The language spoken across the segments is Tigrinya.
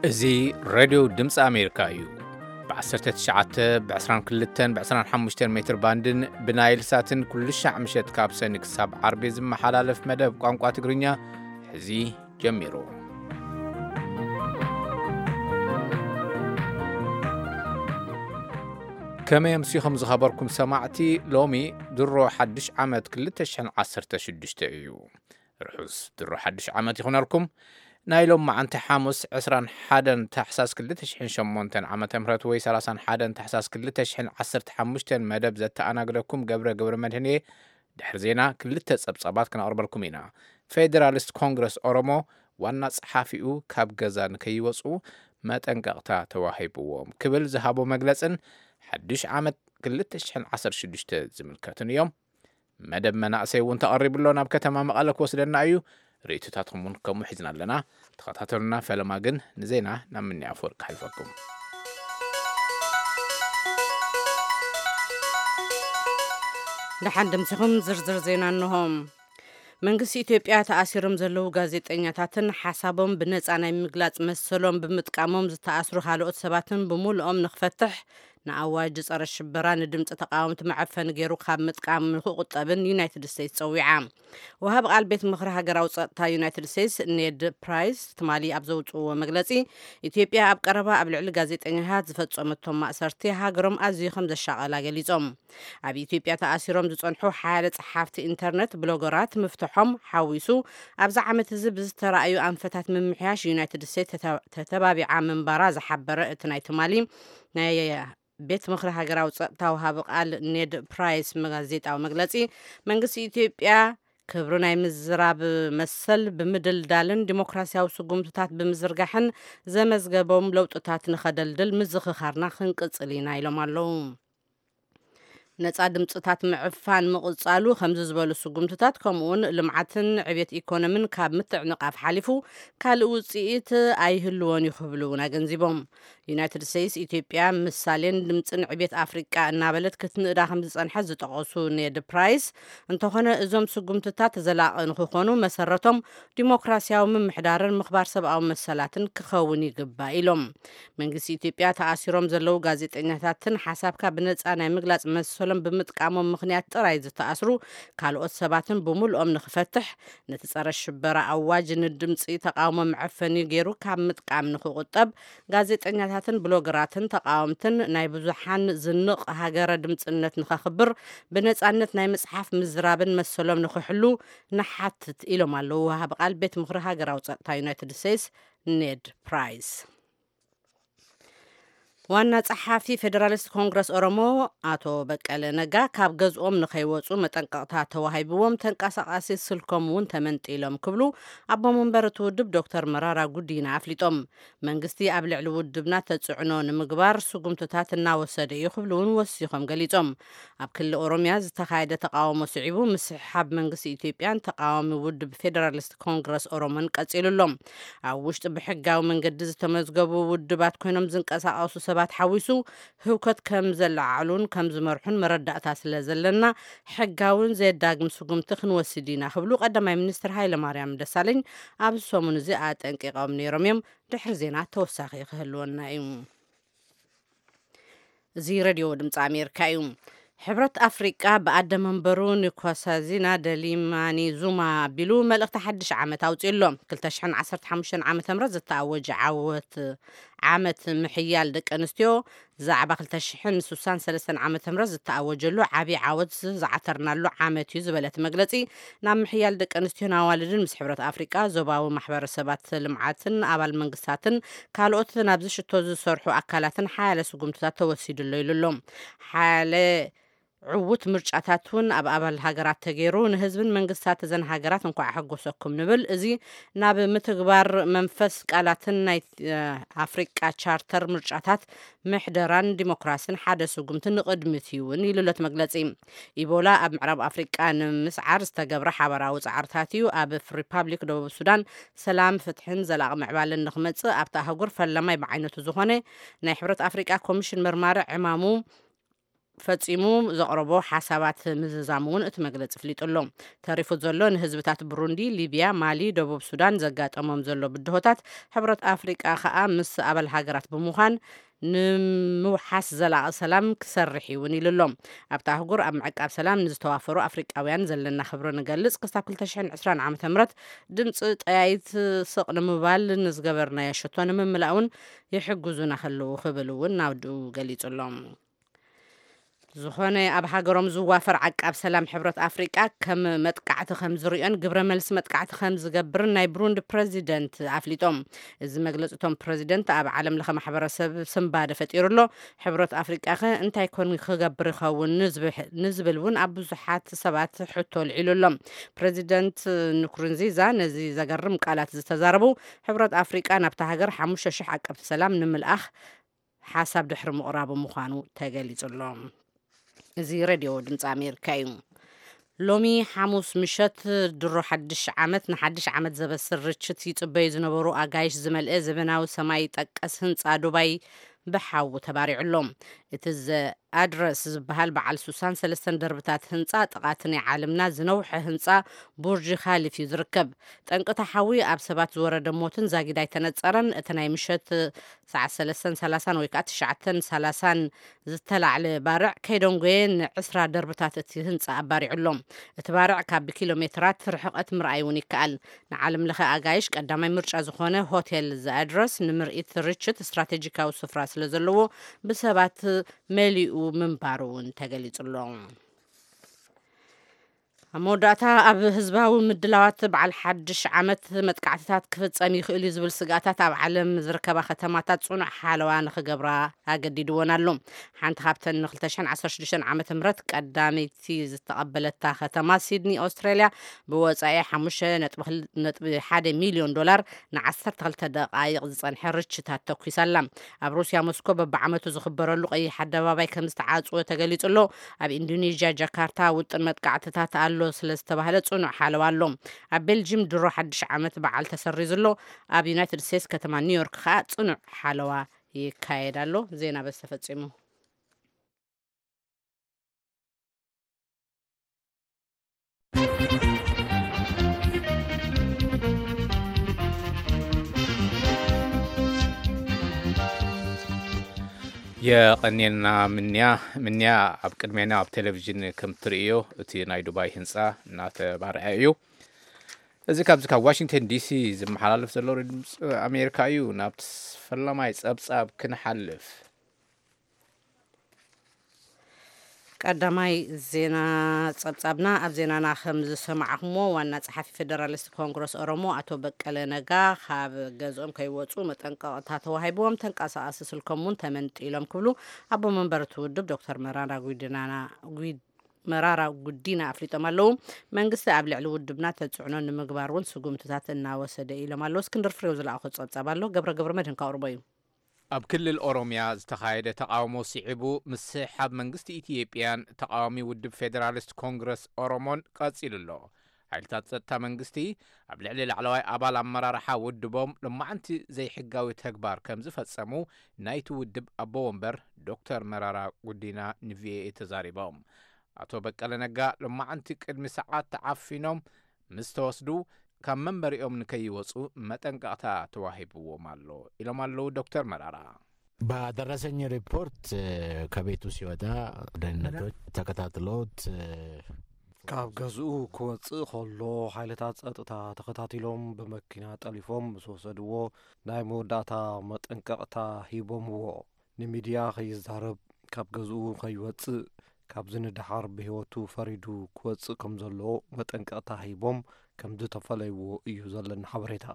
እዚ ሬድዮ ድምፂ ኣሜሪካ እዩ። ብ19፣ ብ22፣ ብ25 ሜትር ባንድን ብናይል ሳትን ኩሉ ሻዕ ምሸት ካብ ሰኒ ክሳብ ዓርቢ ዝመሓላለፍ መደብ ቋንቋ ትግርኛ ሕዚ ጀሚሩ። ከመይ ኣምሲኹም ዝኸበርኩም ሰማዕቲ? ሎሚ ድሮ ሓድሽ ዓመት ክልተ ሽሕን ዓሰርተ ሽዱሽተ እዩ። ርሑስ ድሮ ሓድሽ ዓመት ይኹነልኩም። ናይ ሎም መዓንቲ ሓሙስ ዕስራን ሓደን ታሕሳስ ክልተ ሽሕን ሸሞንተን ዓመተ ምህረት ወይ ሰላሳን ሓደን ታሕሳስ ክልተ ሽሕን ዓሰርተ ሓሙሽተን መደብ ዘተኣናግደኩም ገብረ ገብረ መድህን እየ። ድሕሪ ዜና ክልተ ጸብጻባት ክነቕርበልኩም ኢና። ፌደራሊስት ኮንግረስ ኦሮሞ ዋና ጸሓፊኡ ካብ ገዛ ንከይወጹ መጠንቀቕታ ተዋሂብዎም ክብል ዝሃቦ መግለጽን ሓድሽ ዓመት ክልተ ሽሕን ዓሰርተ ሽዱሽተ ዝምልከቱን እዮም። መደብ መናእሰይ እውን ተቐሪቡ ኣሎ፣ ናብ ከተማ መቐለ ክወስደና እዩ። ርእይቶታትኩም እውን ከምኡ ሒዝና ኣለና። ተኸታተሉና። ፈለማ ግን ንዜና ናብ ምኒ ኣፈወርቂ ከሕልፈኩም። ደሓን ደምሲኹም ዝርዝር ዜና እንሆ። መንግስቲ ኢትዮጵያ ተኣሲሮም ዘለዉ ጋዜጠኛታትን ሓሳቦም ብነጻ ናይ ምግላጽ መሰሎም ብምጥቃሞም ዝተኣስሩ ካልኦት ሰባትን ብምሉኦም ንኽፈትሕ፣ ንኣዋጅ ጸረ ሽበራ ንድምፂ ተቃወምቲ መዐፈኒ ገይሩ ካብ ምጥቃም ንክቁጠብን ዩናይትድ ስቴትስ ጸዊዓ። ወሃቢ ቃል ቤት ምኽሪ ሃገራዊ ጸጥታ ዩናይትድ ስቴትስ ኔድ ፕራይስ ትማሊ ኣብ ዘውፅእዎ መግለጺ፣ ኢትዮጵያ ኣብ ቀረባ ኣብ ልዕሊ ጋዜጠኛታት ዝፈጸመቶም ማእሰርቲ ሃገሮም ኣዝዩ ከም ዘሻቐላ ገሊጾም። ኣብ ኢትዮጵያ ተኣሲሮም ዝጸንሑ ሓደ ጸሓፍቲ ኢንተርነት ብሎገራት ምፍትሖም ሓዊሱ፣ ኣብዚ ዓመት እዚ ብዝተራእዩ ኣንፈታት ምምሕያሽ ዩናይትድ ስቴትስ ተተ-፣ ተተባቢዓ ምንባራ ዝሓበረ እቲ ናይ ትማሊ ናይ ቤት ምኽሪ ሃገራዊ ጸጥታ ወሃቢ ቃል ኔድ ፕራይስ መጋዜጣዊ መግለጺ፣ መንግስቲ ኢትዮጵያ ክብሪ ናይ ምዝራብ መሰል ብምድልዳልን ዲሞክራሲያዊ ስጉምትታት ብምዝርጋሕን ዘመዝገቦም ለውጥታት ንኸደልድል ምዝኽኻርና ክንቅጽል ኢና ኢሎም ኣለዉ። ነጻ ድምጽታት ምዕፋን ምቕጻሉ ከምዚ ዝበሉ ስጉምትታት፣ ከምኡውን ልምዓትን ዕቤት ኢኮኖሚን ካብ ምትዕንቓፍ ሓሊፉ ካልእ ውጽኢት ኣይህልዎን እዩ ክብሉ እውን ኣገንዚቦም። ዩናይትድ ስቴትስ ኢትዮጵያ ምሳሌን ድምጽን ዕቤት ኣፍሪቃ እናበለት ክትንእዳ ከም ዝጸንሐት ዝጠቐሱ ኔድ ፕራይስ፣ እንተኾነ እዞም ስጉምትታት ዘላቒ ንክኾኑ መሰረቶም ዲሞክራሲያዊ ምምሕዳርን ምኽባር ሰብኣዊ መሰላትን ክኸውን ይግባእ ኢሎም። መንግስቲ ኢትዮጵያ ተኣሲሮም ዘለዉ ጋዜጠኛታትን ሓሳብካ ብነጻ ናይ ምግላጽ መሰሎም ብምጥቃሞም ምኽንያት ጥራይ ዝተኣስሩ ካልኦት ሰባትን ብምሉኦም ንክፈትሕ፣ ነቲ ጸረ ሽበራ ኣዋጅ ንድምጺ ተቃውሞ መዐፈኒ ገይሩ ካብ ምጥቃም ንክቁጠብ፣ ጋዜጠኛታትን ብሎገራትን ተቃወምትን ናይ ብዙሓን ዝንቕ ሃገረ ድምጽነት ንኸኽብር፣ ብነጻነት ናይ ምጽሓፍ ምዝራብን መሰሎም ንክሕሉ ንሓትት ኢሎም ኣለዉ ወሃቢ ቃል ቤት ምኽሪ ሃገራዊ ጸጥታ ዩናይትድ ስቴትስ ኔድ ፕራይስ። ዋና ጸሓፊ ፌደራሊስት ኮንግረስ ኦሮሞ ኣቶ በቀለ ነጋ ካብ ገዝኦም ንኸይወጹ መጠንቀቕታ ተዋሂብዎም፣ ተንቀሳቓሲ ስልኮም እውን ተመንጢሎም ክብሉ ኣቦ መንበር እቲ ውድብ ዶክተር መራራ ጉዲና ኣፍሊጦም። መንግስቲ ኣብ ልዕሊ ውድብና ተጽዕኖ ንምግባር ስጉምትታት እናወሰደ እዩ ክብሉ እውን ወሲኾም ገሊጾም። ኣብ ክልል ኦሮሚያ ዝተኻየደ ተቃውሞ ስዒቡ ምስሕሓብ መንግስቲ ኢትዮጵያን ተቃዋሚ ውድብ ፌደራሊስት ኮንግረስ ኦሮሞን ቀጺሉ ኣሎ። ኣብ ውሽጢ ብሕጋዊ መንገዲ ዝተመዝገቡ ውድባት ኮይኖም ዝንቀሳቐሱ ሰባት ሓዊሱ ህውከት ከም ዘለዓዕሉን ከም ዝመርሑን መረዳእታ ስለ ዘለና፣ ሕጋውን ዘየዳግም ስጉምቲ ክንወስድ ኢና ክብሉ ቀዳማይ ሚኒስትር ሃይለማርያም ደሳለኝ ኣብዚ ሰሙን እዚ ኣጠንቂቖም ነይሮም እዮም። ድሕሪ ዜና ተወሳኺ ክህልወና እዩ። እዚ ሬድዮ ድምፂ ኣሜሪካ እዩ። ሕብረት ኣፍሪቃ ብኣደ መንበሩ ንኮሳዚና ደሊማኒ ዙማ ኣቢሉ መልእኽቲ ሓድሽ ዓመት ኣውፂኡ ኣሎ። ክልተ ሽሕን ዓሰርተ ሓሙሽተን ዓመተ ምህረት ዝተኣወጀ ዓወት ዓመት ምሕያል ደቂ ኣንስትዮ ዛዕባ ክልተ ሽሕን ስሳን ሰለስተን ዓመተ ምህረት ዝተኣወጀሉ ዓብዪ ዓወት ዝዓተርናሉ ዓመት እዩ ዝበለ እቲ መግለፂ፣ ናብ ምሕያል ደቂ ኣንስትዮን ኣዋልድን ምስ ሕብረት ኣፍሪቃ፣ ዞባዊ ማሕበረሰባት ልምዓትን ኣባል መንግስታትን ካልኦት ናብዚ ሽቶ ዝሰርሑ ኣካላትን ሓያለ ስጉምትታት ተወሲዱ ኣሎ ኢሉ ኣሎ። ሓያለ ዕዉት ምርጫታት እውን ኣብ ኣባል ሃገራት ተገይሩ፣ ንህዝብን መንግስታት እዘን ሃገራት እንኳዕ ኣሐጎሰኩም ንብል። እዚ ናብ ምትግባር መንፈስ ቃላትን ናይ፣ እ፣ ኣፍሪቃ ቻርተር ምርጫታት ምሕደራን ዲሞክራስን ሓደ ስጉምቲ ንቕድሚት እዩ እውን ኢሉ ኣሎ እቲ መግለጺ። ኢቦላ ኣብ ምዕራብ ኣፍሪቃ ንምስዓር ዝተገብረ ሓበራዊ ጻዕርታት እዩ። ኣብ ሪፓብሊክ ደቡብ ሱዳን ሰላም፣ ፍትሕን ዘላቒ ምዕባለን ንኽመጽእ ኣብታ ኣህጉር ፈላማይ ብዓይነቱ ዝኾነ ናይ ሕብረት ኣፍሪቃ ኮሚሽን መርማሪ ዕማሙ ፈጺሙ ዘቕረቦ ሓሳባት ምዝዛሙ እውን እቲ መግለጺ ኣፍሊጡ ኣሎ። ተሪፉ ዘሎ ንህዝብታት ብሩንዲ፣ ሊብያ፣ ማሊ፣ ደቡብ ሱዳን ዘጋጠሞም ዘሎ ብድሆታት፣ ሕብረት ኣፍሪቃ ከኣ ምስ ኣባል ሃገራት ብምዃን ንምውሓስ ዘላቒ ሰላም ክሰርሕ እዩ እውን ኢሉ ኣሎ። ኣብታ ኣህጉር ኣብ ምዕቃብ ሰላም ንዝተዋፈሩ ኣፍሪቃውያን ዘለና ክብሪ ንገልጽ፣ ክሳብ ክልተ ሽሕን ዕስራን ዓመተ ምህረት ድምፂ ጠያይት ስቕ ንምባል ንዝገበርናዮ ሽቶ ንምምላእ እውን ይሕግዙና ከለዉ ክብል እውን ናውድኡ ገሊጹ ኣሎ። ዝኾነ ኣብ ሃገሮም ዝዋፈር ዓቃብ ሰላም ሕብረት ኣፍሪቃ ከም መጥቃዕቲ ከም ዝሪኦን ግብረ መልሲ መጥቃዕቲ ከም ዝገብርን ናይ ብሩንዲ ፕረዚደንት ኣፍሊጦም። እዚ መግለፂ እቶም ፕረዚደንት ኣብ ዓለም ለኸ ማሕበረሰብ ስንባደ ፈጢሩ ኣሎ። ሕብረት ኣፍሪቃ ኸ እንታይ ኮን ክገብር ይኸውን ንዝብሕ- ንዝብል እውን ኣብ ብዙሓት ሰባት ሕቶ ልዒሉ ኣሎ። ፕረዚደንት ንኩሩንዚዛ ነዚ ዘገርም ቃላት ዝተዛረቡ፣ ሕብረት ኣፍሪቃ ናብታ ሃገር ሓሙሽተ ሽሕ ዓቀብቲ ሰላም ንምልኣኽ ሓሳብ ድሕሪ ምቕራቡ ምዃኑ ተገሊጹ ኣሎ። እዚ ሬድዮ ድምፂ ኣሜሪካ እዩ። ሎሚ ሓሙስ ምሸት ድሮ ሓድሽ ዓመት ንሓድሽ ዓመት ዘበስር ርችት ይጽበዩ ዝነበሩ ኣጋይሽ ዝመልአ ዘበናዊ ሰማይ ጠቀስ ህንጻ ዱባይ ብሓዊ ተባሪዑ ኣሎ። እቲ ዘ ኣድረስ ዝበሃል በዓል ሱሳን ሰለስተን ደርብታት ህንጻ ጥቓቲ ናይ ዓለምና ዝነውሐ ህንጻ ቡርጅ ኻሊፍ እዩ ዝርከብ። ጠንቅታ ሓዊ ኣብ ሰባት ዝወረደ ሞትን ዛጊድ ኣይተነጸረን። እቲ ናይ ምሸት ሰዓት ሰለስተን ሰላሳን ወይ ከዓ ትሽዓተን ሰላሳን ዝተላዕለ ባርዕ ከይደንጎየ ንዕስራ ደርብታት እቲ ህንጻ ኣባሪዑ ኣሎ። እቲ ባርዕ ካብ ብኪሎ ሜትራት ርሕቐት ምርኣይ እውን ይከኣል። ንዓለም ለኸ ኣጋይሽ ቀዳማይ ምርጫ ዝኾነ ሆቴል ዘኣድረስ ንምርኢት ርችት ስትራቴጂካዊ ስፍራ ስለ ዘለዎ ብሰባት መሊኡ ምንባሩ እውን ተገሊጹ ኣሎ። ኣብ መወዳእታ ኣብ ህዝባዊ ምድላዋት በዓል ሓድሽ ዓመት መጥቃዕትታት ክፍጸም ይኽእል እዩ ዝብል ስግኣታት ኣብ ዓለም ዝርከባ ከተማታት ጽኑዕ ሓለዋ ንኽገብራ ኣገዲድወን ኣሎ። ሓንቲ ካብተን ን2016 ዓመተ ምህረት ቀዳመይቲ ዝተቐበለታ ከተማ ሲድኒ ኦስትራልያ ብወጻኢ ሓሙሽተ ነጥቢ ሓደ ሚልዮን ዶላር ን12 ደቓይቕ ዝጸንሐ ርችታት ተኲሳ ኣላ። ኣብ ሩስያ ሞስኮ በብዓመቱ ዝኽበረሉ ቀይሕ ኣደባባይ ከም ዝተዓጽወ ተገሊጹ ኣሎ። ኣብ ኢንዶኔዥያ ጃካርታ ውጥን መጥቃዕትታት ኣሎ ስለ ዝተባህለ ጽኑዕ ሓለዋ ኣሎ። ኣብ ቤልጅም ድሮ ሓድሽ ዓመት በዓል ተሰሪዙ ኣሎ። ኣብ ዩናይትድ ስቴትስ ከተማ ኒውዮርክ ከኣ ጽኑዕ ሓለዋ ይካየድ ኣሎ። ዜና በዚ ተፈጺሙ። የቐኔልና ምንያ ምንያ። ኣብ ቅድሜና ኣብ ቴሌቪዥን ከም ትርእዮ እቲ ናይ ዱባይ ህንፃ እናተባርዐ እዩ። እዚ ካብዚ ካብ ዋሽንግተን ዲሲ ዝመሓላለፍ ዘሎ ሬድዮ ድምፂ ኣሜሪካ እዩ። ናብ ፈላማይ ፀብፃብ ክንሓልፍ። ቀዳማይ ዜና ጸብጻብና። ኣብ ዜናና ከም ዝሰማዕኹሞ ዋና ጸሓፊ ፌደራሊስት ኮንግረስ ኦሮሞ ኣቶ በቀለ ነጋ ካብ ገዝኦም ከይወጹ መጠንቀቕታ ተዋሂብዎም ተንቀሳቓሲ ስልኮም እውን ተመንጢሎም ክብሉ ኣቦ መንበር እቲ ውድብ ዶክተር መራራ ጉዲናና ጉድ መራራ ጉዲና ኣፍሊጦም ኣለዉ። መንግስቲ ኣብ ልዕሊ ውድብና ተጽዕኖ ንምግባር እውን ስጉምትታት እናወሰደ ኢሎም ኣለዉ። እስክንድር ፍሬው ዝለኣኾ ጸብጻብ ኣሎ። ገብረ ገብረ መድህን ከቕርቦ እዩ። ኣብ ክልል ኦሮምያ ዝተኻየደ ተቓውሞ ስዒቡ ምስሕሓብ መንግስቲ ኢትዮጵያን ተቓዋሚ ውድብ ፌደራሊስት ኮንግረስ ኦሮሞን ቀጺሉ ኣሎ። ሓይልታት ጸጥታ መንግስቲ ኣብ ልዕሊ ላዕለዋይ ኣባል ኣመራርሓ ውድቦም ሎማዕንቲ ዘይሕጋዊ ተግባር ከም ዝፈጸሙ ናይቲ ውድብ ኣቦ ወንበር ዶክተር መራራ ጉዲና ንቪኦኤ ተዛሪቦም። ኣቶ በቀለ ነጋ ሎማዕንቲ ቅድሚ ሰዓት ተዓፊኖም ምስ ተወስዱ ካብ መንበሪኦም ንከይወጹ መጠንቀቕታ ተዋሂብዎም ኣሎ ኢሎም ኣለዉ ዶክተር መራራ። በደረሰኝ ሪፖርት ከቤቱ ሲወጣ ደህንነቶች ተከታትለውት ካብ ገዝኡ ክወጽእ ከሎ ሓይልታት ጸጥታ ተኸታቲሎም ብመኪና ጠሊፎም ምስ ወሰድዎ ናይ መወዳእታ መጠንቀቕታ ሂቦምዎ። ንሚድያ ከይዛረብ፣ ካብ ገዝኡ ከይወጽእ፣ ካብዚ ንደሓር ብህይወቱ ፈሪዱ ክወጽእ ከም ዘለዎ መጠንቀቕታ ሂቦም ከም ዝተፈለይዎ እዩ ዘለና ሓበሬታ።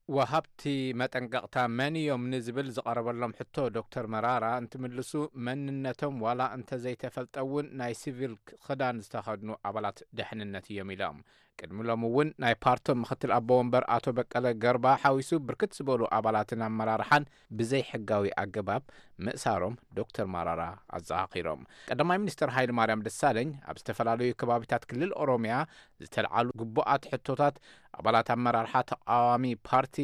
ወሃብቲ መጠንቀቕታ መን እዮም ንዝብል ዝቐረበሎም ሕቶ ዶክተር መራራ እንትምልሱ፣ መንነቶም ዋላ እንተዘይተፈልጠ እውን ናይ ሲቪል ክዳን ዝተኸድኑ ኣባላት ደሕንነት እዮም ኢሎም። ቅድሚ ሎሚ እውን ናይ ፓርቶም ምክትል ኣቦ ወንበር ኣቶ በቀለ ገርባ ሓዊሱ ብርክት ዝበሉ ኣባላትን ኣመራርሓን ብዘይሕጋዊ ኣገባብ ምእሳሮም ዶክተር መራራ ኣዘኻኺሮም። ቀዳማይ ሚኒስትር ሃይለ ማርያም ደሳለኝ ኣብ ዝተፈላለዩ ከባቢታት ክልል ኦሮምያ ዝተልዓሉ ግቡኣት ሕቶታት ኣባላት ኣመራርሓ ተቃዋሚ ፓርቲ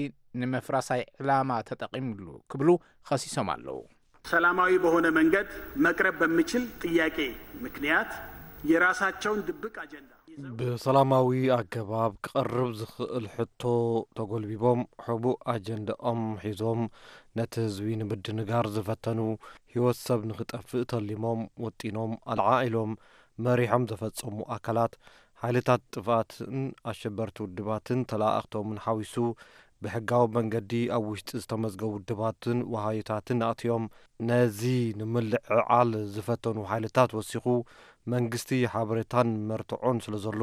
ንምፍራሳይ ዕላማ ተጠቒምሉ ክብሉ ከሲሶም ኣለዉ። ሰላማዊ በሆነ መንገድ መቅረብ በሚችል ጥያቄ ምክንያት የራሳቸውን ድብቅ አጀንዳ ይዘው ብሰላማዊ ኣገባብ ክቐርብ ዝኽእል ሕቶ ተጎልቢቦም ሕቡእ ኣጀንዳኦም ሒዞም ነቲ ህዝቢ ንምድንጋር ዝፈተኑ፣ ህይወት ሰብ ንኽጠፍእ ተሊሞም ወጢኖም ኣልዓዒሎም መሪሖም ዘፈጸሙ ኣካላት ሓይልታት ጥፍኣትን ኣሸበርቲ ውድባትን ተለኣእኽቶምን ሓዊሱ ብሕጋዊ መንገዲ ኣብ ውሽጢ ዝተመዝገቡ ውድባትን ወሃዮታትን ኣእትዮም ነዚ ንምልዕዓል ዝፈተኑ ሓይልታት ወሲኹ መንግስቲ ሓበሬታን መርትዖን ስለዘሎ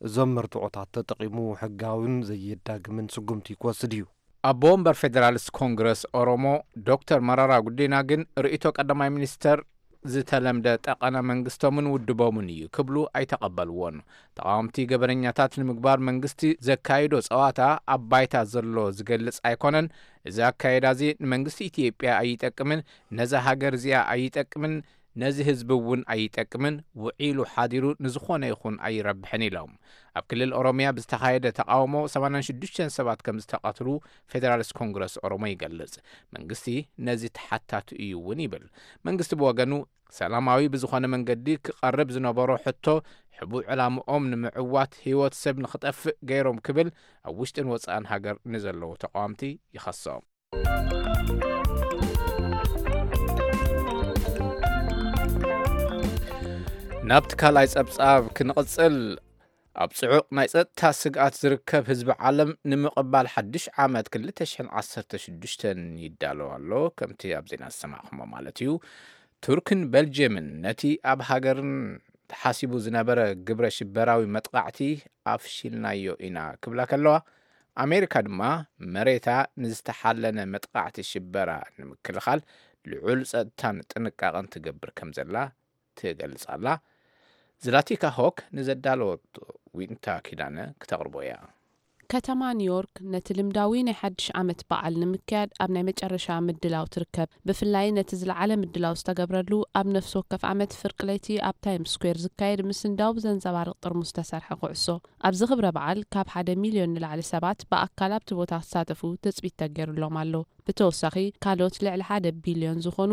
እዞም መርትዖታት ተጠቒሙ ሕጋዊን ዘየዳግምን ስጉምቲ ክወስድ እዩ። ኣቦ ወንበር ፌደራሊስት ኮንግረስ ኦሮሞ ዶክተር መራራ ጉዲና ግን ርእይቶ ቀዳማይ ሚኒስተር ዝተለምደ ጠቐነ መንግስቶምን ውድቦምን እዩ ክብሉ ኣይተቐበልዎን። ተቓወምቲ ገበነኛታት ንምግባር መንግስቲ ዘካይዶ ጸዋታ ኣብ ባይታ ዘሎ ዝገልጽ ኣይኮነን። እዚ ኣካየዳ እዚ ንመንግስቲ ኢትዮጵያ ኣይጠቅምን፣ ነዛ ሃገር እዚኣ ኣይጠቅምን፣ ነዚ ህዝቢ እውን ኣይጠቅምን፣ ውዒሉ ሓዲሩ ንዝኾነ ይኹን ኣይረብሕን ኢሎም። ኣብ ክልል ኦሮሚያ ብዝተኻየደ ተቓውሞ ሰማንያን ሽዱሽተን ሰባት ከም ዝተቐትሉ ፌደራሊስት ኮንግረስ ኦሮሞ ይገልጽ። መንግስቲ ነዚ ተሓታቲ እዩ እውን ይብል። መንግስቲ ብወገኑ ሰላማዊ ብዝኾነ መንገዲ ክቐርብ ዝነበሮ ሕቶ ሕቡእ ዕላምኦም ንምዕዋት ህይወት ሰብ ንኽጠፍእ ገይሮም ክብል ኣብ ውሽጥን ወጻእን ሃገር ንዘለዉ ተቓወምቲ ይኸሶም። ናብቲ ካልኣይ ጸብጻብ ክንቕጽል፣ ኣብ ጽዑቕ ናይ ጸጥታ ስግኣት ዝርከብ ህዝቢ ዓለም ንምቕባል ሓድሽ ዓመት ክልተ ሽሕን ዓሰርተ ሽዱሽተን ይዳለዋ ኣሎ። ከምቲ ኣብ ዜና ዝሰማዕኹሞ ማለት እዩ። ቱርክን ቤልጅየምን ነቲ ኣብ ሃገርን ተሓሲቡ ዝነበረ ግብረ ሽበራዊ መጥቓዕቲ ኣፍሺልናዮ ኢና ክብላ ከለዋ፣ ኣሜሪካ ድማ መሬታ ንዝተሓለነ መጥቓዕቲ ሽበራ ንምክልኻል ልዑል ጸጥታን ጥንቃቐን ትገብር ከም ዘላ ትገልጽ ኣላ። ዝላቲካ ሆክ ንዘዳለወቶ ዊንታ ኪዳነ ክተቕርቦ እያ። ከተማ ኒውዮርክ ነቲ ልምዳዊ ናይ ሓድሽ ዓመት በዓል ንምክያድ ኣብ ናይ መጨረሻ ምድላው ትርከብ። ብፍላይ ነቲ ዝለዓለ ምድላው ዝተገብረሉ ኣብ ነፍሲ ወከፍ ዓመት ፍርቂ ለይቲ ኣብ ታይምስ ስኩዌር ዝካየድ ምስንዳው ብዘንጸባርቕ ጥርሙዝ ዝተሰርሐ ኩዕሶ። ኣብዚ ክብረ በዓል ካብ ሓደ ሚልዮን ንላዕሊ ሰባት ብኣካል ኣብቲ ቦታ ክሳተፉ ትጽቢት ተገይሩሎም ኣሎ። ብተወሳኺ ካልኦት ልዕሊ ሓደ ቢልዮን ዝኾኑ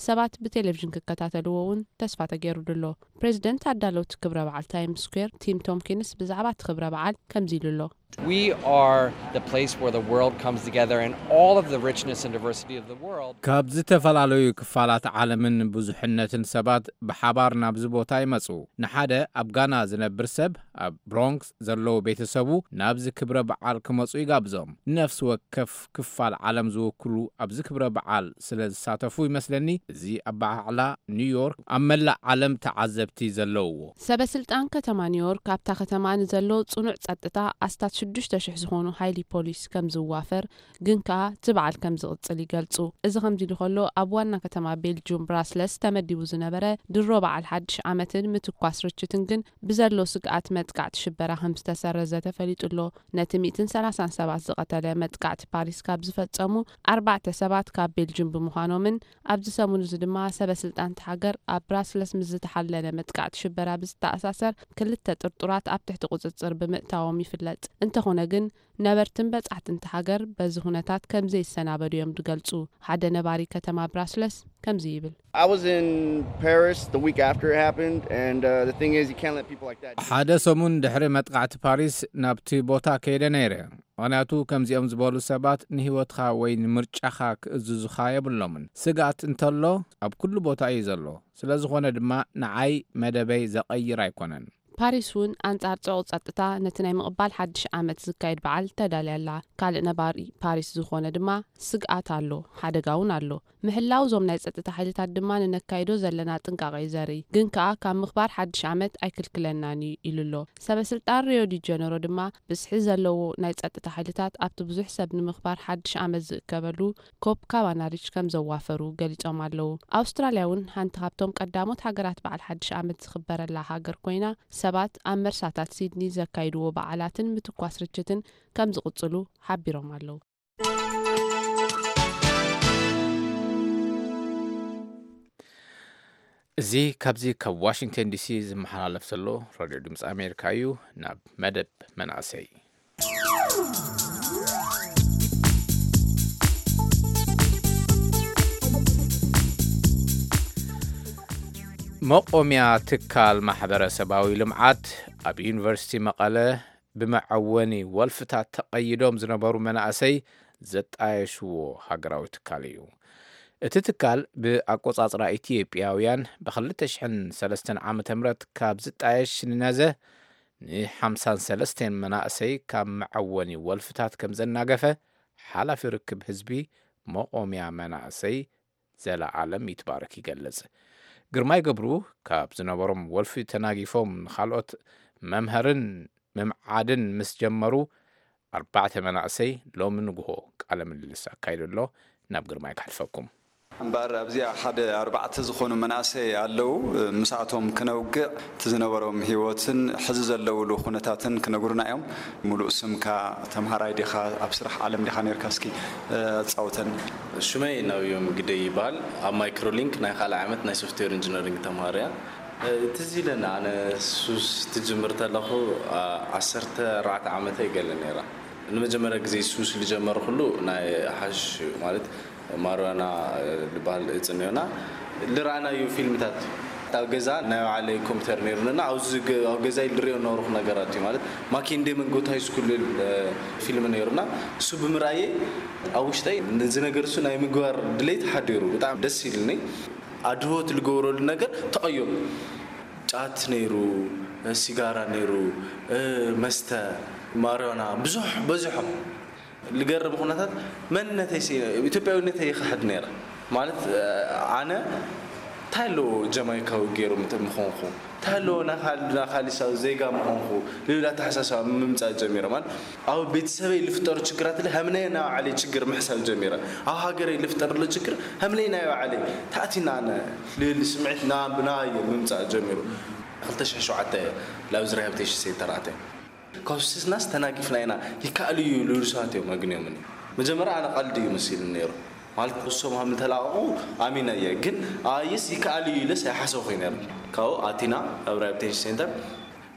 ሰባት ብቴሌቪዥን ክከታተልዎ እውን ተስፋ ተገይሩሉ ኣሎ። ፕሬዚደንት ኣዳለውቲ ክብረ በዓል ታይምስ ስኩዌር ቲም ቶምኪንስ ብዛዕባ እቲ ክብረ በዓል ከምዚ ኢሉ ኣሎ። We are the place where the world comes together and all of the richness and diversity of the world. ካብ ዝተፈላለዩ ክፋላት ዓለምን ብዙሕነትን ሰባት ብሓባር ናብዚ ቦታ ይመጹ። ንሓደ ኣብ ጋና ዝነብር ሰብ ኣብ ብሮንክስ ዘለዉ ቤተሰቡ ናብዚ ክብረ በዓል ክመጹ ይጋብዞም። ንነፍሲ ወከፍ ክፋል ዓለም ዝውክሉ ኣብዚ ክብረ በዓል ስለ ዝሳተፉ ይመስለኒ እዚ ኣበዓዕላ ኒውዮርክ ኣብ መላእ ዓለም ተዓዘብቲ ዘለውዎ። ሰበ ስልጣን ከተማ ኒውዮርክ ኣብታ ከተማ ንዘሎ ጽኑዕ ጸጥታ ኣስታት ሽዱሽተ ሽሕ ዝኾኑ ሓይሊ ፖሊስ ከም ዝዋፈር ግን ከኣ እቲ በዓል ከም ዝቕጽል ይገልጹ። እዚ ከምዚ ኢሉ ከሎ ኣብ ዋና ከተማ ቤልጁም ብራስለስ ተመዲቡ ዝነበረ ድሮ በዓል ሓድሽ ዓመትን ምትኳስ ርችትን ግን ብዘሎ ስግኣት መጥቃዕቲ ሽበራ ከም ዝተሰረዘ ተፈሊጡ ኣሎ። ነቲ ሚእትን ሰላሳን ሰባት ዝቐተለ መጥቃዕቲ ፓሪስ ካብ ዝፈጸሙ ኣርባዕተ ሰባት ካብ ቤልጅም ብምዃኖምን ኣብዚ ሰሙን እዚ ድማ ሰበ ስልጣን እታ ሃገር ኣብ ብራስለስ ምስ ዝተሓለነ መጥቃዕቲ ሽበራ ብዝተኣሳሰር ክልተ ጥርጡራት ኣብ ትሕቲ ቁጽጽር ብምእታዎም ይፍለጥ። እንተኾነ ግን ነበርትን በጻሕትን እታ ሃገር በዚ ኩነታት ከም ዘይሰናበዱ እዮም ዝገልጹ። ሓደ ነባሪ ከተማ ብራስለስ ከምዚ ይብል። I was in Paris the week after it happened, and uh, the thing is, you can't let people like that. ሓደ ሰሙን ድሕሪ መጥቃዕቲ ፓሪስ ናብቲ ቦታ ከይደ ነይረ። ምኽንያቱ ከምዚኦም ዝበሉ ሰባት ንህይወትኻ ወይ ንምርጫኻ ክእዝዙኻ የብሎምን። ስግኣት እንተሎ ኣብ ኩሉ ቦታ እዩ ዘሎ። ስለ ዝኾነ ድማ ንዓይ መደበይ ዘቐይር ኣይኮነን። ፓሪስ እውን ኣንጻር ጽዑቕ ጸጥታ ነቲ ናይ ምቕባል ሓድሽ ዓመት ዝካየድ በዓል ተዳልያ ኣላ። ካልእ ነባሪ ፓሪስ ዝኾነ ድማ ስግኣት ኣሎ፣ ሓደጋ እውን ኣሎ። ምሕላው እዞም ናይ ጸጥታ ሓይልታት ድማ ንነካይዶ ዘለና ጥንቃቐ እዩ ዘርኢ። ግን ከኣ ካብ ምኽባር ሓድሽ ዓመት ኣይክልክለናን እዩ ኢሉ ኣሎ። ሰበ ስልጣን ሪዮ ዲ ጀነሮ ድማ ብዝሒ ዘለዎ ናይ ጸጥታ ሓይልታት ኣብቲ ብዙሕ ሰብ ንምኽባር ሓድሽ ዓመት ዝእከበሉ ኮፕ ካባና ሪች ከም ዘዋፈሩ ገሊጾም ኣለዉ። ኣውስትራልያ እውን ሓንቲ ካብቶም ቀዳሞት ሃገራት በዓል ሓድሽ ዓመት ዝኽበረላ ሃገር ኮይና ሰባት ኣብ መርሳታት ሲድኒ ዘካይድዎ በዓላትን ምትኳስ ርችትን ከም ዝቕጽሉ ሓቢሮም ኣለዉ። እዚ ካብዚ ካብ ዋሽንግተን ዲሲ ዝመሓላለፍ ዘሎ ራድዮ ድምፂ ኣሜሪካ እዩ። ናብ መደብ መናእሰይ። መቆምያ ትካል ማሕበረሰባዊ ልምዓት ኣብ ዩኒቨርሲቲ መቐለ ብመዐወኒ ወልፍታት ተቐይዶም ዝነበሩ መናእሰይ ዘጣየሽዎ ሃገራዊ ትካል እዩ። እቲ ትካል ብኣቆጻጽራ ኢትዮጵያውያን ብ2003 ዓ.ም ካብ ዝጣየሽ ንነዘ ን53 መናእሰይ ካብ መዐወኒ ወልፍታት ከም ዘናገፈ ሓላፊ ርክብ ህዝቢ መቆምያ መናእሰይ ዘለኣለም ይትባረክ ይገልጽ። ግርማይ ገብሩ ካብ ዝነበሮም ወልፊ ተናጊፎም ንኻልኦት መምሀርን ምምዓድን ምስ ጀመሩ ኣርባዕተ መናእሰይ ሎሚ ንግሆ ቃለ ምልልስ ኣካይዱ ኣሎ። ናብ ግርማይ ከሕልፈኩም። እምበኣር ኣብዚኣ ሓደ ኣርባዕተ ዝኾኑ መናእሰይ ኣለዉ። ምስኣቶም ክነውግዕ እቲ ዝነበሮም ህይወትን ሕዚ ዘለውሉ ኩነታትን ክነግሩና እዮም። ሙሉእ ስምካ፣ ተምሃራይ ዲኻ፣ ኣብ ስራሕ ዓለም ዲኻ ነርካ? እስኪ ኣጻውተን። ሽመይ ናብዮም ግደይ ይበሃል። ኣብ ማይክሮሊንክ ናይ ካልኣይ ዓመት ናይ ሶፍትዌር ኢንጂነሪንግ ተምሃሪ እያ። ትዝ ኢለና፣ ኣነ ሱስ ትጅምር ተለኹ ዓሰርተ ኣርባዕተ ዓመተይ ገለ ነይራ። ንመጀመርያ ግዜ ሱስ ዝጀመርኩሉ ናይ ሓሽ ማለት ማርዋና ዝበሃል እጽ እኒኦና ልረኣናዩ ፊልምታት ኣብ ገዛ ናይ ባዕለይ ኮምፒተር ነይሩንና ኣብዚ ገ- ኣብ ገዛይ ልሪኦ ነበርኩ ነገራት እዩ ማለት ማኪንዴ መንጎት ሃይ ስኩል ፊልም ነይሩና እሱ ብምርኣየ ኣብ ውሽጠይ ነዚ ነገር እሱ ናይ ምግባር ድሌት ሓዲሩ ብጣዕሚ ደስ ኢልኒ ኣድህቦት ልገብረሉ ነገር ተቐየሩ ጫት ነይሩ ሲጋራ ነይሩ መስተ ማርዋና ብዙሕ በዚሖም ልገርም ኩነታት መንነተይ ኢትዮጵያዊነተይ ይኽሕድ ነይረ ማለት ኣነ እንታይ ኣለዎ ጀማይካዊ ገይሩ ምኾንኩ እንታይ ኣለዎ ናካሊሳዊ ዜጋ ምኾንኩ ልብል ኣተሓሳሰባ ምምፃእ ጀሚረ ማለት ኣብ ቤተሰበይ ልፍጠሩ ችግራት ለ ሃምነየ ናይ ባዕለይ ችግር ምሕሳብ ጀሚረ ኣብ ሃገረይ ልፍጠር ሎ ችግር ሃምነይ ናይ ባዕለይ ታእቲና ኣነ ልብል ስምዒት ናብናየ ምምፃእ ጀሚሩ 2007 ላብዚ ሪሃብሊቴሽን ሴንተር ኣተ ካብ ሱስናስ ተናጊፍና ኢና ይከኣል እዩ ልብሉ ሰባት እዮም ኣግንዮምኒ መጀመርያ ኣነ ቀልዲ እዩ መሲሉ ነይሩ ማለት እሶም ሃም ተላቐቑ ኣሚነ እየ ግን ኣየስ ይከኣል እዩ ኢለስ ኣይሓሰብኩ ነይሩ ካብኡ ኣቲና ኣብ ሪሃብሊቴሽን ሴንተር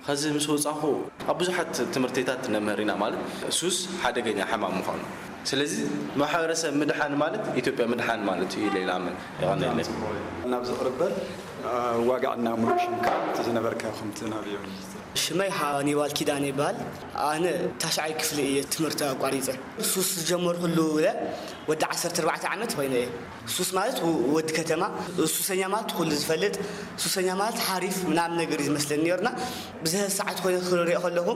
ከዚ ምስ ወፃኹ ኣብ ብዙሓት ትምህርትታት ነምህር ኢና ማለት ሱስ ሓደገኛ ሕማም ምዃኑ ስለዚ ማሕበረሰብ ምድሓን ማለት ኢትዮጵያ ምድሓን ማለት እዩ ኢለ ይኣምን የቐንየለይ ናብ ዝቕርበል ዋጋዕና ሙሉእ ሽምካ እቲ ዝነበርካ ከምቲ ናብዮ ሽመይ ሃኒባል ኪዳነ ይበሃል። ኣነ ታሽዓይ ክፍሊ እየ ትምህርቲ ኣቋሪፀ። ሱስ ዝጀመርኩሉ ውለ ወዲ ዓሰርተ ኣርባዕተ ዓመት ኮይነ እየ። ሱስ ማለት ወዲ ከተማ፣ ሱሰኛ ማለት ኩሉ ዝፈልጥ፣ ሱሰኛ ማለት ሓሪፍ ምናምን ነገር እዩ ዝመስለኒ ነይሩና። ብዝሀ ሰዓት ኮይነ ክሪኦ ከለኹ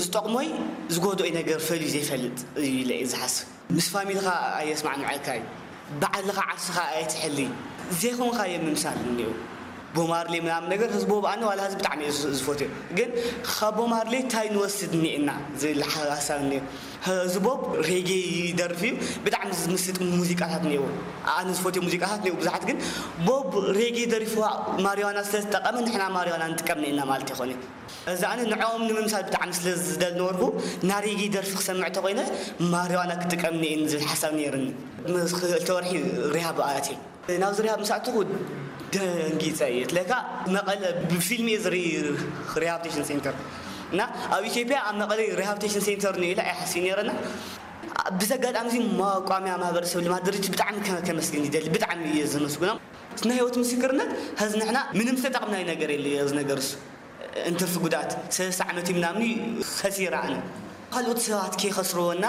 ዝጠቕሞይ ዝጎድኦይ ነገር ፈልዩ ዘይፈልጥ እዩ ኢለ እየ ዝሓስብ። ምስ ፋሚልኻ ኣየስማዕምዐካ እዩ። ባዕልኻ ዓርስኻ ኣይትሕሊ። ዘይኮንካዮ ምምሳል እኒኦ። ቦብ ማርሌ ምናምን ነገር ህዝቦ ብኣኒ ዋላ ህዝቢ ብጣዕሚ እየ ዝፎትዮ። ግን ካብ ቦብ ማርሌ እንታይ ንወስድ እኒኤና ዝብል ሓሳብ እኒኦ። ህዝቦ ሬጌ ይደርፍ እዩ። ብጣዕሚ ዝምስጥ ሙዚቃታት እኒኦ። ኣነ ዝፎትዮ ሙዚቃታት እኒኦ ብዙሓት ግን ቦብ ሬጌ ደሪፍዋ ማሪዋና ስለዝጠቀመ ንሕና ማሪዋና ንጥቀም እኒኤና ማለት ይኾነ። እዚ ኣነ ንዕኦም ንምምሳል ብጣዕሚ ስለ ዝደል ነበርኩ ናሪጊ ደርፊ ክሰምዕ ተኮይነ ማሪዋና ክጥቀም እኒኤን ዝብል ሓሳብ ነይርኒ ምስ ክልተ ወርሒ ሪሃብ ኣትየ ናብዚ ሪሃብ ምስ ኣተኹ ደንጊፀ እየ ትለካ መቐለ ብፊልም እየ ዝርኢ ሪሃብቴሽን ሴንተር እና ኣብ ኢትዮጵያ ኣብ መቐለ ሪሃብቴሽን ሴንተር ንኢለ ኣይሓስብ ነይረና ብዚ ኣጋጣሚ እዚ መቋሚያ ማህበረሰብ ልማት ድርጅት ብጣዕሚ ከመስግን ይደሊ ብጣዕሚ እየ ዘመስግኖም ናይ ህይወት ምስክርነት ሀዚ ንሕና ምንም ዝተጠቕምናይ ነገር የለ እዚ ነገር እሱ እንትርፊ ጉድኣት ሰለስተ ዓመት ምናምን ከሲረ ኣነ ካልኦት ሰባት ከይኸስርዎ እና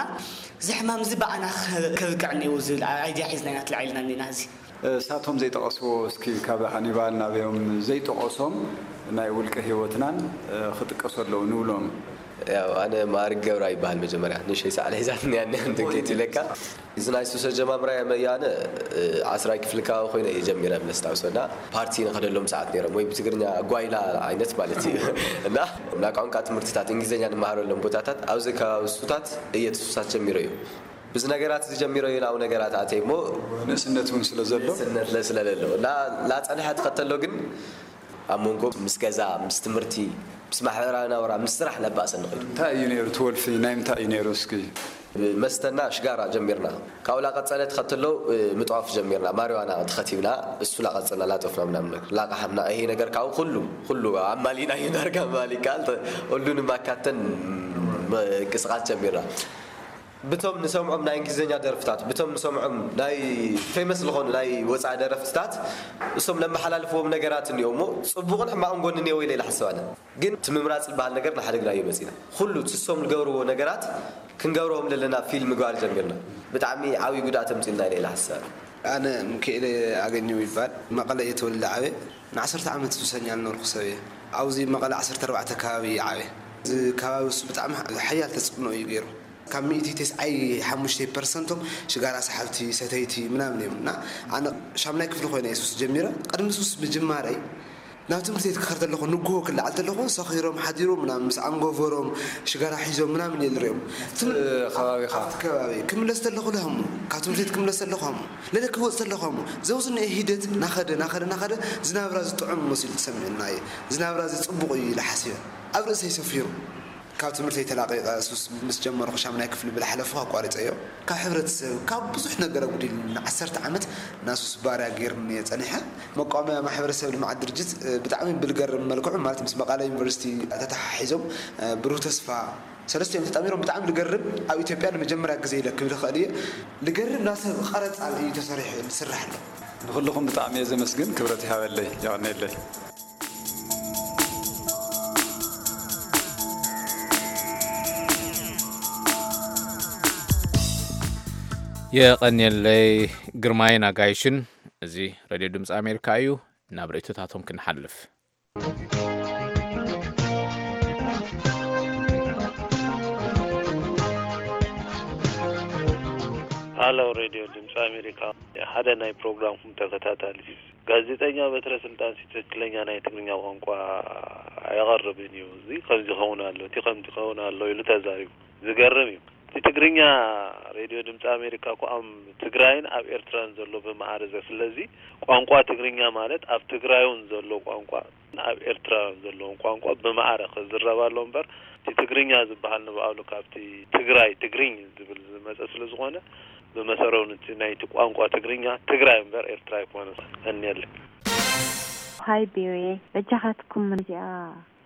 እዚ ሕማም እዚ ብኣና ከብቅዕ እኒዎ ዝብል ኣይድያ ሒዝና ኢና ትልዓልና እኒና እዚ እሳቶም ዘይጠቐስዎ እስኪ ካብ ሃኒባል ናበዮም ዘይጠቐሶም ናይ ውልቀ ህይወትናን ክጥቀሱ ኣለዉ ንብሎም ያው ኣነ ማእርግ ገብራ ይበሃል መጀመርያ ንእሽተይ ሳዕሊ ሒዛትኒ እያ እኒኣ እንትን ከይትብለካ እዚ ናይ ሱስ ኣጀማምራይ መያነ ዓስራይ ክፍሊ ከባቢ ኮይነ እየ ጀሚረ ብለስታውሶ እና ፓርቲ ንኸደሎም ሰዓት ነይሮም ወይ ብትግርኛ ጓይላ ዓይነት ማለት እዩ እና ናይ ቋንቋ ትምህርትታት እንግሊዝኛ ንመሃረሎም ቦታታት ኣብዚ ከባቢ ሱታት እየ እቲ ሱሳት ጀሚረ እዩ ብዚ ነገራት እዚ ጀሚረ እዩ ናብ ነገራት ኣተይ እሞ ንእስነት እውን ስለ ዘሎ ንእስነት ስለለሎ እና ላፀንሐ ትኸተሎ ግን ኣብ መንጎ ምስ ገዛ፣ ምስ ትምህርቲ፣ ምስ ማሕበራዊ ናብራ፣ ምስ ስራሕ ለባእሰኒ ኸይዱ። እንታይ እዩ ነይሩ እቲ ወልፊ? ናይ ምንታይ እዩ ነይሩ እስኪ? መስተና ሽጋራ ጀሚርና። ካብኡ ላቐጸለ ተኸትሎ ምጥዋፍ ጀሚርና። ማሪዋና ተኸቲብና፣ እሱ ላቐጸልና፣ ላጠፍና ምናምን ነገር። ላቐሓምና፣ ይሄ ነገር ካብኡ ኩሉ፣ ኩሉ ኣማሊእናዮ ዳርጋ ምባል ይከኣል። ተ- ሁሉንም ኣካተን ምንቅስቃስ ጀሚርና። ብቶም ንሰምዖም ናይ እንግሊዝኛ ደርፍታት፣ ብቶም ንሰምዖም ናይ ፌመስ ዝኾኑ ናይ ወፃኢ ደረፍትታት፣ እሶም ለመሓላልፍዎም ነገራት እኒኦ እሞ፣ ፅቡቕን ሕማቕን ጎኒ እኒኦ ኢለ ኢለ ሓስባለ። ግን እቲ ምምራፅ ዝበሃል ነገር ንሓደ ግና እዩ መፂና። ኩሉ እቲ እሶም ዝገብርዎ ነገራት ክንገብርዎም ዘለና ፊልም ምግባር ጀሚርና። ብጣዕሚ ዓብዪ ጉድኣት ኣምፂልና ኢለ ኢለ ሓስባለ። ኣነ ምክኤለ ኣገኘው ይባል። መቐለ እየ ተወልደ ዓበ። ንዓሰርተ ዓመት ሱሰኛ ዝነበርኩ ሰብ እየ። ኣብዚ መቐለ ዓሰርተ ኣርባዕተ ከባቢ እየ ዓበ። እዚ ከባቢ እሱ ብጣዕሚ ሓያል ተፅዕኖ እዩ ገይሩ። ካብ ሚእቲ ተስዓይ ሓሙሽተ ፐርሰንቶም ሽጋራ ሰሓብቲ፣ ሰተይቲ ምናምን እዮም። እና ኣነ ሻምናይ ክፍሊ ኮይነ እየ ሱስ ጀሚረ። ቅድሚ ሱስ ምጅማረይ ናብ ትምህርቲ ቤት ክኸር ተለኹ፣ ንግሆ ክለዓል ተለኹ፣ ሰኺሮም ሓዲሮም ምናምን ምስ ኣንጎበሮም ሽጋራ ሒዞም ምናምን እየ ዝሪኦም። ትም-፣ ከባቢኻ? ኣብቲ ከባቢ ክምለስ ተለኹ ለህሙ፣ ካብ ትምህርቲ ቤት ክምለስ ተለኹ ሃሙ፣ ለለ ክወፅ ተለኹ ሃሙ፣ ዘውዝንኤ ሂደት ናኸደ፣ ናኸደ፣ ናኸደ ዝናብራ ዝጥዑም መሲሉ ተሰሚዑና እዩ። ዝናብራ እዚ ፅቡቕ እዩ ኢለ ሓሲበ። ኣብ ርእሰይ ሰፊሩ። ካብ ትምህርተይ ተላቒቐ ሱስ ምስ ጀመርኩ ሻምናይ ክፍሊ ብላሕለፉ ኣቋሪፀዮ። ካብ ሕብረተሰብ፣ ካብ ብዙሕ ነገር ኣጉዲሉኒ። ንዓሰርተ ዓመት ናሱስ ባርያ ገይሩኒ እየ ጸኒሐ። መቋመያ ማሕበረሰብ ልምዓት ድርጅት፣ እ፣ ብጣዕሚ ብልገርም መልክዑ፣ ማለት ምስ መቐለ ዩኒቨርሲቲ ተተሓሒዞም፣ እ፣ ብሩህ ተስፋ ሰለስቲኦም ተጣሚሮም ብጣዕሚ ልገርም፣ ኣብ ኢትዮጵያ ንመጀመርያ ግዜ ኢለ ክብል እኽእል እየ። ልገርም ናሰብ ቐረጻ እዩ ተሰሪሑ፣ ዝስራሕ ኣሎ። ንኹልኹም ብጣዕሚ እየ ዘመስግን፣ ክብረት ይሃበለይ፣ የቐንየለይ። የቐንየለይ ግርማይን ኣጋይሽን። እዚ ሬድዮ ድምፂ ኣሜሪካ እዩ። ናብ ርእይቶታቶም ክንሓልፍ። ሃሎ ሬድዮ ድምፂ ኣሜሪካ፣ ሓደ ናይ ፕሮግራምኩም ተከታታሊ። ጋዜጠኛ በትረ ስልጣን ሲ ትክክለኛ ናይ ትግርኛ ቋንቋ ኣየቐርብን እዩ። እዚ ከምዚ ይኸውን ኣሎ፣ እቲ ከምዚ ይኸውን ኣሎ ኢሉ ተዛሪቡ። ዝገርም እዩ። እቲ ትግርኛ ሬድዮ ድምፂ ኣሜሪካ እኮ ኣብ ትግራይን ኣብ ኤርትራን ዘሎ ብመዓረ ዘ-፣ ስለዚ ቋንቋ ትግርኛ ማለት ኣብ ትግራይ እውን ዘሎ ቋንቋ፣ ኣብ ኤርትራ ዘለውን ቋንቋ ብመዓረ ክዝረብ ኣሎ እምበር፣ እቲ ትግርኛ ዝበሃል ንባዕሉ ካብቲ ትግራይ ትግርኝ ዝብል ዝመፀ ስለ ዝኾነ፣ ብመሰረቱ ናይቲ ቋንቋ ትግርኛ ትግራይ እምበር ኤርትራ ኣይኮነን። ቀንየለይ። ሃይ ቢሬ፣ በጃኻትኩም እዚኣ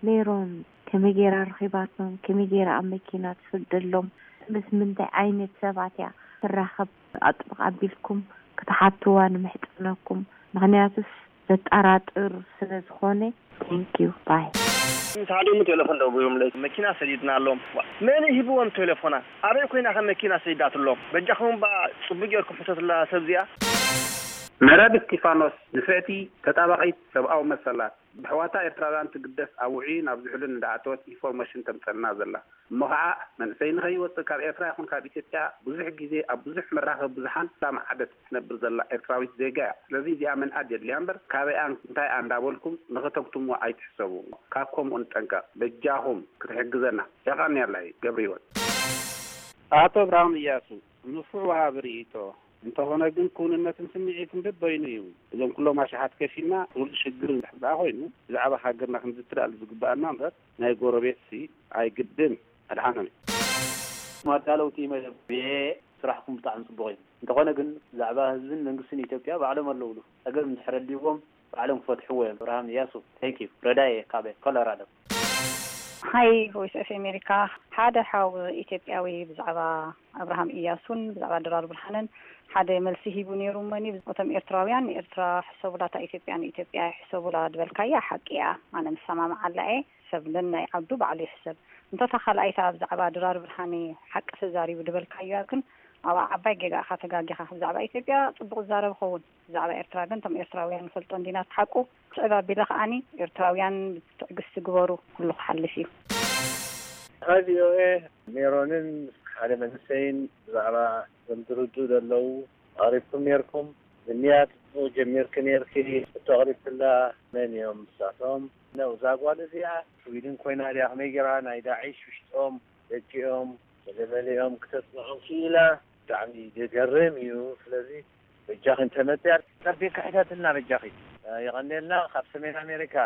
ሜሮን ከመይ ገይራ ረኺባቶም፣ ከመይ ገይራ ኣብ መኪና ትስደሎም፣ ምስ ምንታይ ዓይነት ሰባት እያ ትራኸብ፣ ኣጥብቕ ኣቢልኩም ክትሓትዋ ንምሕጸነኩም። ምኽንያቱስ ዘጠራጥር ስለ ዝኾነ። Thank you. Bye. ምስ ሓደ ቴሌፎን ደዊሎምለይ፣ መኪና ሰዲድናሎም። ዋ፣ መን ሂብዎም ቴሌፎና? ኣበይ ኮይና ከ መኪና ሰዲዳትሎም? በጃኹም እባ ጽቡቅ ጌርኩም ሕተቱላ ሰብ እዚኣ። መረብ እስቲፋኖስ፣ ንፍዕቲ ተጣባቒት ሰብኣዊ መሰላት፣ ብሕዋታ ኤርትራውያን ትግደስ ኣብ ውዑይን ኣብ ዝሑልን እንዳኣተወት ኢንፎርሜሽን ተምጸልና ዘላ። እሞ ኸዓ መንእሰይ ንኸይወጽእ ካብ ኤርትራ ይኹን ካብ ኢትዮጵያ ብዙሕ ግዜ ኣብ ብዙሕ መራኸቢ ብዙሓን እንዳመዓደት ትነብር ዘላ ኤርትራዊት ዜጋ እያ። ስለዚ እዚኣ ምንኣድ የድልያ እምበር ካበይኣን እንታይኣ እንዳበልኩም ንኸተግትምዋ ኣይትሕሰቡ። ካብ ከምኡ ንጠንቀቕ። በጃኹም ክትሕግዘና። የቐንየለይ። ገብረሂወት። ኣቶ ብርሃኑ እያሱ፣ ንፉዕ ወሃቢ ርእይቶ። እንተኾነ ግን ክውንነትን ስምዒትን በበይኑ እዩ። እዞም ኩሎም ኣሽሓት ከፊልና ፍሉጥ ሽግር እንድሕር ደኣ ኮይኑ ብዛዕባ ሃገርና ክንዝቲ ደኣ ዝግበኣና እምበር ናይ ጎረቤትሲ ኣይግድን። ኣድሓኖም። ኣዳለውቲ መደብ፣ ስራሕኩም ብጣዕሚ ጽቡቕ እዩ። እንተኾነ ግን ብዛዕባ ህዝብን መንግስትን ኢትዮጵያ ባዕሎም ኣለውሉ። ጸገም እንድሕር ኣልይዎም ባዕሎም ክፈትሕዎ እዮም። ኣብርሃም እያሱ፣ thank you። ረዳየ ካበ ኮሎራዶ። ሃይ ቮይስ ኦፍ ኣሜሪካ፣ ሓደ ሓው ኢትዮጵያዊ ብዛዕባ ኣብርሃም እያሱን ብዛዕባ ድራር ብርሃንን ሓደ መልሲ ሂቡ ነይሩ። እሞኒ እቶም ኤርትራውያን ንኤርትራ ሕሰቡላ፣ እታ ኢትዮጵያ ንኢትዮጵያ ሕሰቡላ ዝበልካያ ሓቂ እያ። ኣነ ምሰማምዓላ እየ። ሰብ ነናይ ዓዱ ባዕሉ ይሕሰብ። እንተ እታ ካልኣይታ ብዛዕባ ድራር ብርሃነ ሓቂ ተዛሪቡ ዝበልካያ ግን ኣብኣ ዓባይ ጌጋ ኢኻ ተጋጊኻ። ብዛዕባ ኢትዮጵያ ጽቡቕ ዝዛረብ ይኸውን፣ ብዛዕባ ኤርትራ ግን እቶም ኤርትራውያን ንፈልጦ እንዲና እቲ ሓቁ። ስዕብ ኣቢለ ከኣኒ ኤርትራውያን ትዕግስቲ ግበሩ፣ ኩሉ ክሓልፍ እዩ። ሃይ ቪ ኦ ኤ፣ ሜሮንን ሓደ መንእሰይን ብዛዕባ እዞም ዝርድኡ ዘለዉ ኣቕሪብኩም ኔርኩም። ብንያት ጽቡቕ ጀሚርኪ ኔርኪ፣ ሕቶ ኣቕሪብክላ። መን እዮም ንሳቶም? ነው፣ እዛ ጓል እዚኣ ስዊድን ኮይና ድያ? ከመይ ገይራ ናይ ዳዒሽ ውሽጦም ደቂኦም ገለመሊኦም ክተጽንዖም ክኢላ? ብጣዕሚ ዘገርም እዩ። ስለዚ በጃኺ እንተመጽያ ጸቢቕኪ ሕተትልና በጃኺ። የቐንየልና። ካብ ሰሜን ኣሜሪካ።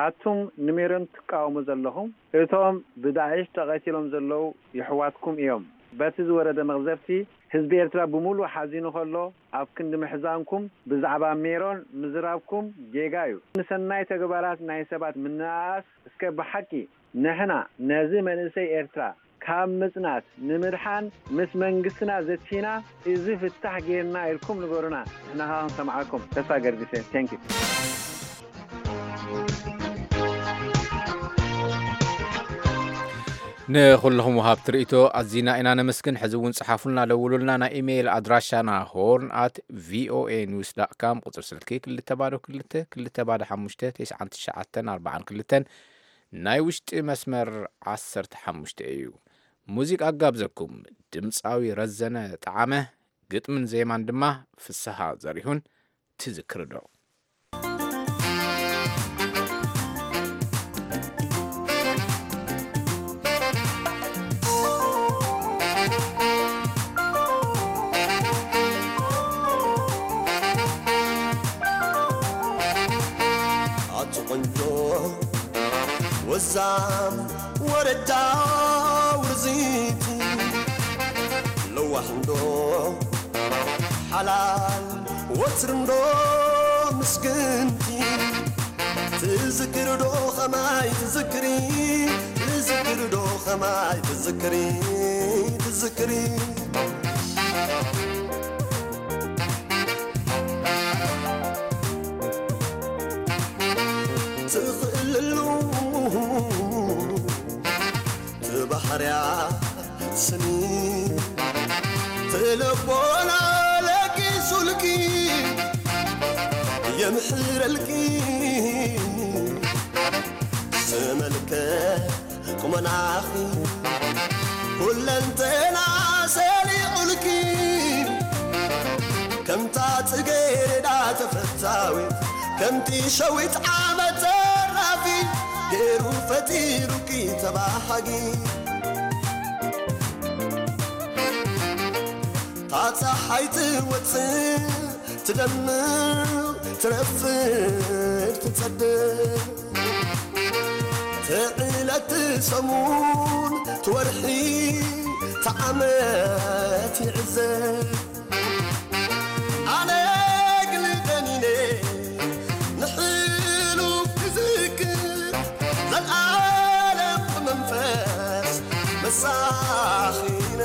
ኣቱም ንሜሮን ትቃወሙ ዘለኹም፣ እቶም ብዳዒሽ ተቐቲሎም ዘለዉ የሕዋትኩም እዮም። በቲ ዝወረደ መቕዘፍቲ ህዝቢ ኤርትራ ብምሉእ ሓዚኑ ከሎ፣ ኣብ ክንዲ ምሕዛንኩም ብዛዕባ ሜሮን ምዝራብኩም ጌጋ እዩ። ንሰናይ ተግባራት ናይ ሰባት ምንእኣስ እስከ ብሓቂ ንሕና ነዚ መንእሰይ ኤርትራ ካብ ምጽናት ንምድሓን ምስ መንግስትና ዘቲና እዚ ፍታሕ ጌርና ኢልኩም ንገሩና። ንሕና ከኣ ክንሰምዓኩም ተስፋ ገርግሰ። Thank you። ንኹልኹም ወሃብቲ ርእይቶ ኣዚና ኢና ነመስግን። ሕዚ እውን ጽሓፉልና፣ ደውሉልና። ናይ ኢሜይል ኣድራሻና ሆርን ኣት ቪኦኤ ኒውስ ዳት ካም፣ ቁጽሪ ስልኪ ክልተ ባዶ ክልተ ክልተ ባዶ ሓሙሽተ ተስዓን ትሽዓተን ኣርባዓን ክልተን፣ ናይ ውሽጢ መስመር ዓሰርተ ሓሙሽተ እዩ። ሙዚቃ ኣጋብዘኩም፣ ድምጻዊ ረዘነ ጠዓመ፣ ግጥምን ዜማን ድማ ፍስሃ ዘሪሁን። ትዝክሪ ዶ? ኣቲ ቆንጆ ወዛም ወረዳ ውርዚት ለዋህ እንዶ ሓላል ወትርንዶ ምስግንቲ ትዝክርዶ ኸማይ ትዝክሪ ትዝክርዶ ኸማይ ትዝክሪ ትዝክሪ ትኽእልሉ ትባሕርያ ስኒ ትልቦና ለጊሱልኪ የምሕረልኪ ስመልከ ቁመናኺ ኩለንተና ሰሊቑልኪ ከምታ ጽጌረዳ ተፈታዊት ከምቲ ሸዊት ዓመት ተራፊ ገይሩ ፈጢሩኪ ተባሃጊ ታፀሓይ ትወፅእ ትደምቕ ትረፍድ ትፀድቕ ትዕለት ትሰሙን ትወርሒ ትዓመት ይዕዘብ ኣነ ግልደኒነ ንሕሉፍ ክዝክር ዘልኣለም ብመንፈስ መሳኺነ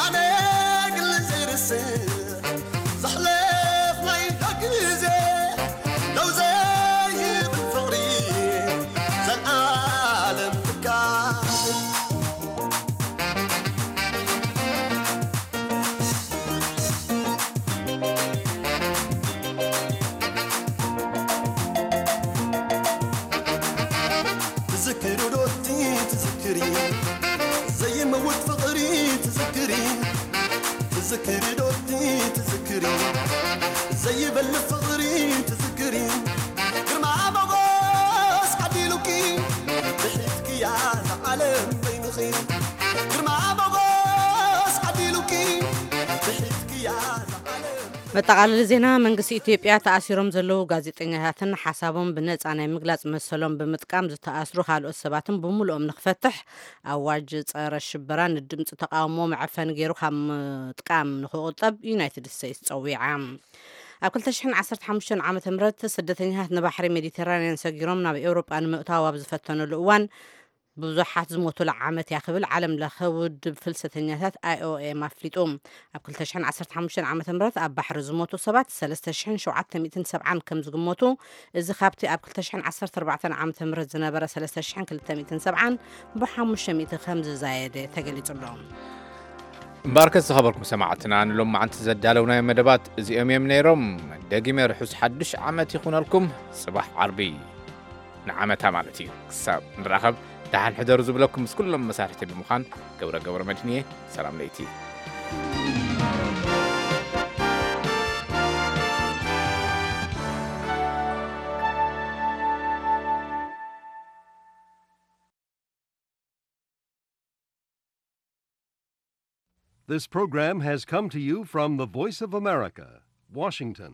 ኣነ ግል ዘይርስዕ ዘሕለፍናዮ ግዜ ደው ዘይብል ፍቕሪ ዘልኣለም ትካል ትዝክሪ ዶቲ ትዝክሪ ዘይመውት ፍቕሪ ትዝክሪ ትዝክሪ ዶቲ ትዝክሪ ዘይበል ፍቕሪ ትዝክሪ ግርማ ሞጎስ ዓዲሉኪ ድሕሪትኪያ ንዓለም በይንኺ ግርማ ሞጎስ ዓዲሉኪ ድሕሪትኪያ ንዓለም መጠቓለሊ ዜና። መንግስቲ ኢትዮጵያ ተኣሲሮም ዘለዉ ጋዜጠኛታትን ሓሳቦም ብነጻ ናይ ምግላጽ መሰሎም ብምጥቃም ዝተኣስሩ ካልኦት ሰባትን ብምሉኦም ንኽፈትሕ ኣዋጅ ጸረ ሽበራ ንድምፂ ተቃውሞ መዐፈኒ ገይሩ ካብ ምጥቃም ንኽቑጠብ ዩናይትድ ስቴትስ ጸዊዓ። ኣብ ክልተ ሽሕን ዓሰርተ ሓሙሽተን ዓመተ ምህረት ስደተኛታት ንባሕሪ ሜዲተራንያን ሰጊሮም ናብ ኤውሮጳ ንምእታው ኣብ ዝፈተኑሉ እዋን ብዙሓት ዝሞቱላ ዓመት እያ ክብል ዓለም ለኸ ውድብ ፍልሰተኛታት ኣይ ኦ ኤም ኣፍሊጡ። ኣብ ክልተ ሽሕን ዓሰርተ ሓሙሽተን ዓመተ ምህረት ኣብ ባሕሪ ዝሞቱ ሰባት ሰለስተ ሽሕን ሸውዓተ ሚእትን ሰብዓን ከም ዝግመቱ፣ እዚ ካብቲ ኣብ ክልተ ሽሕን ዓሰርተ ኣርባዕተን ዓመተ ምህረት ዝነበረ ሰለስተ ሽሕን ክልተ ሚእትን ሰብዓን ብሓሙሽተ ሚእቲ ከም ዝዛየደ ተገሊጹ ኣሎ። እምበኣርከስ ዝኸበርኩም ሰማዕትና ንሎማዓንቲ ዘዳለውናዮም መደባት እዚኦም እዮም ነይሮም። ደጊመ ርሑስ ሓዱሽ ዓመት ይኹነልኩም። ጽባሕ ዓርቢ ንዓመታ ማለት እዩ። ክሳብ ንራኸብ ደሓን ሕደሩ ዝብለኩም ምስ ኩሎም መሳርሕቲ ብምዃን ገብረ ገብረ መድህን እየ። ሰላም ለይቲ። This program has come to you from the Voice of America, Washington.